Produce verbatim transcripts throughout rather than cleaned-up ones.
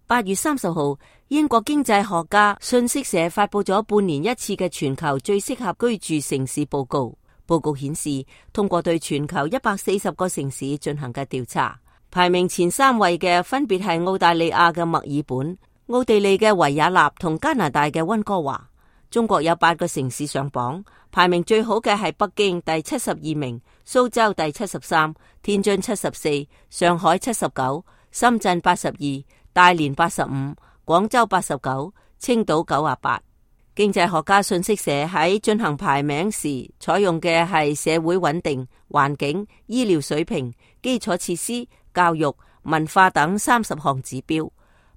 八月三十號，英國經濟學家信息社發佈咗半年一次嘅全球最適合居住城市報告。報告顯示，通過對全球一百四十個城市進行嘅調查，排名前三位嘅分別係澳大利亞嘅墨爾本、奧地利嘅維也納同加拿大嘅溫哥華。中國有八個城市上榜，排名最好嘅係北京第七十二名，蘇州第七十三，天津七十四，上海七十九，深圳八十二，大連八十五，廣州八十九，青島九十八。經濟學家信息社喺進行排名時，採用嘅係社會穩定、環境、醫療水平、基礎設施、教育、文化等三十項指標。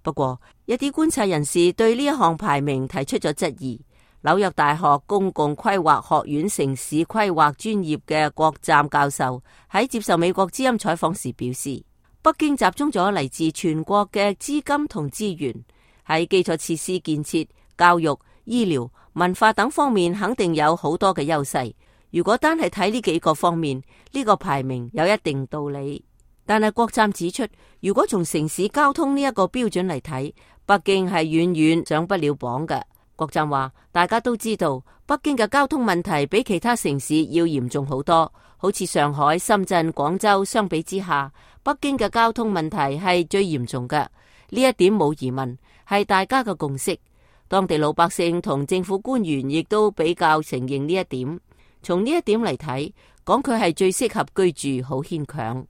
不過，一啲觀察人士對呢一項排名提出咗質疑。紐約大學公共規劃學院城市規劃專業嘅郭湛教授喺接受美國之音採訪時表示，北京集中咗嚟自全國嘅資金同資源，喺基礎設施建設、教育、醫療、文化等方面肯定有好多嘅優勢。如果單係睇呢幾個方面，呢個排名有一定道理。但係郭湛指出，如果從城市交通呢一個標準嚟睇，北京係遠遠上不了榜嘅。郭湛話，大家都知道北京嘅交通問題比其他城市要嚴重好多，好似上海、深圳、廣州相比之下，北京嘅交通問題係最嚴重嘅。呢一點冇疑問，係大家嘅共識。當地老百姓同政府官員亦都比較承認呢一點。從呢一點嚟睇，講佢係最適合居住好牽強。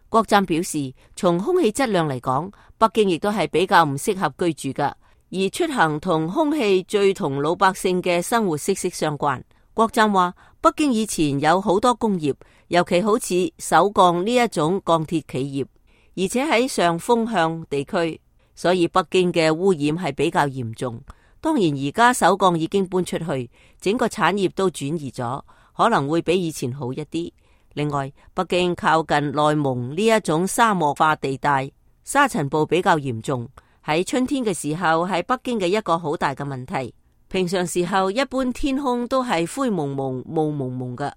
郭湛表示，從空氣質量嚟講，北京亦都係比較唔適合居住㗎。而出行同空氣最同老百姓嘅生活息息相關。郭湛話，北京以前有好多工業，尤其好似首鋼呢一種鋼鐵企業，而且喺上風向地區，所以北京嘅污染係比較嚴重。當然而家首鋼已經搬出去，整個產業都轉移咗，可能會比以前好一啲。另外，北京靠近內蒙呢一種沙漠化地帶，沙塵暴比較嚴重。喺春天嘅時候係北京嘅一個好大嘅問題。平常時候一般天空都係灰蒙蒙、霧蒙蒙嘅。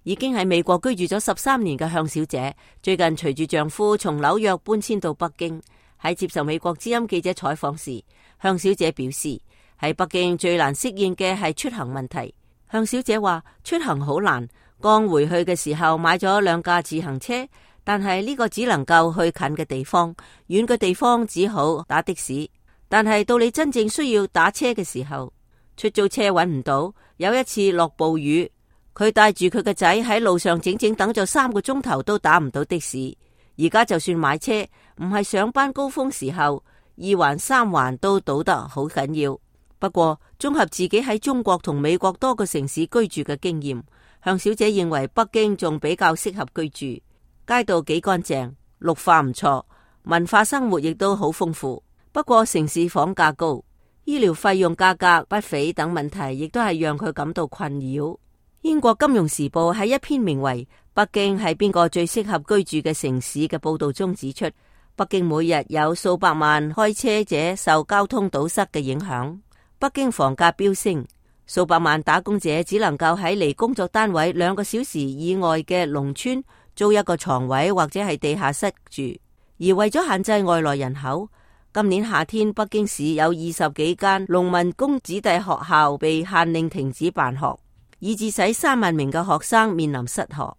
已經喺美國居住咗十三年嘅向小姐，最近隨住丈夫從紐約搬遷到北京。喺接受美國之音記者採訪時，向小姐表示，喺北京最難適應嘅係出行問題。向小姐話，出行好難，剛回去嘅時候買咗兩架自行車，但係呢個只能夠去近嘅地方，遠嘅地方只好打的士。但係到你真正需要打車嘅時候，出租車揾唔到。有一次落暴雨，佢帶住佢嘅仔喺路上整整等咗三個鐘頭都打唔到的士。而家就算買車，唔係上班高峰時候，二環三環都堵得好緊要。不過綜合自己喺中國同美國多個城市居住嘅經驗，向小姐認為北京仲比較適合居住。街道幾乾淨，綠化唔錯，文化生活亦都好豐富。不過城市房價高，醫療費用價格不菲等問題，亦都係讓佢感到困擾。英國金融時報喺一篇名為《北京係邊個最適合居住嘅城市》嘅報道中指出，北京每日有數百萬開車者受交通堵塞嘅影響。北京房價飆升，數百萬打工者只能夠喺離工作單位兩個小時以外嘅農村租一個床位或者係地下室住。而為咗限制外來人口，今年夏天北京市有二十幾間農民工子弟學校被限令停止辦學，以致使三萬名嘅學生面臨失學。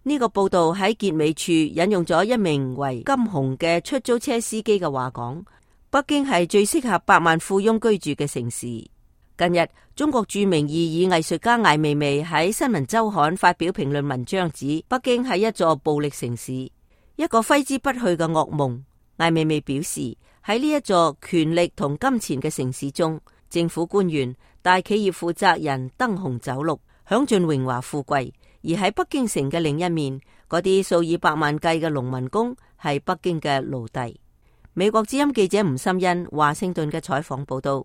呢個報道喺結尾處引用咗一名為金紅嘅出租車司機嘅話講，北京係最適合百萬富翁居住嘅城市。近日，中國著名異議藝術家艾未未喺新聞周刊發表評論文章，指北京係一座暴力城市，一個揮之不去嘅噩夢。艾未未表示，喺呢一座權力同金錢嘅城市中，政府官員、大企業負責人燈紅酒綠，享盡榮華富貴；而喺北京城嘅另一面，嗰啲數以百萬計嘅農民工係北京嘅奴隸。美國之音記者吳心欣華盛頓嘅採訪報道。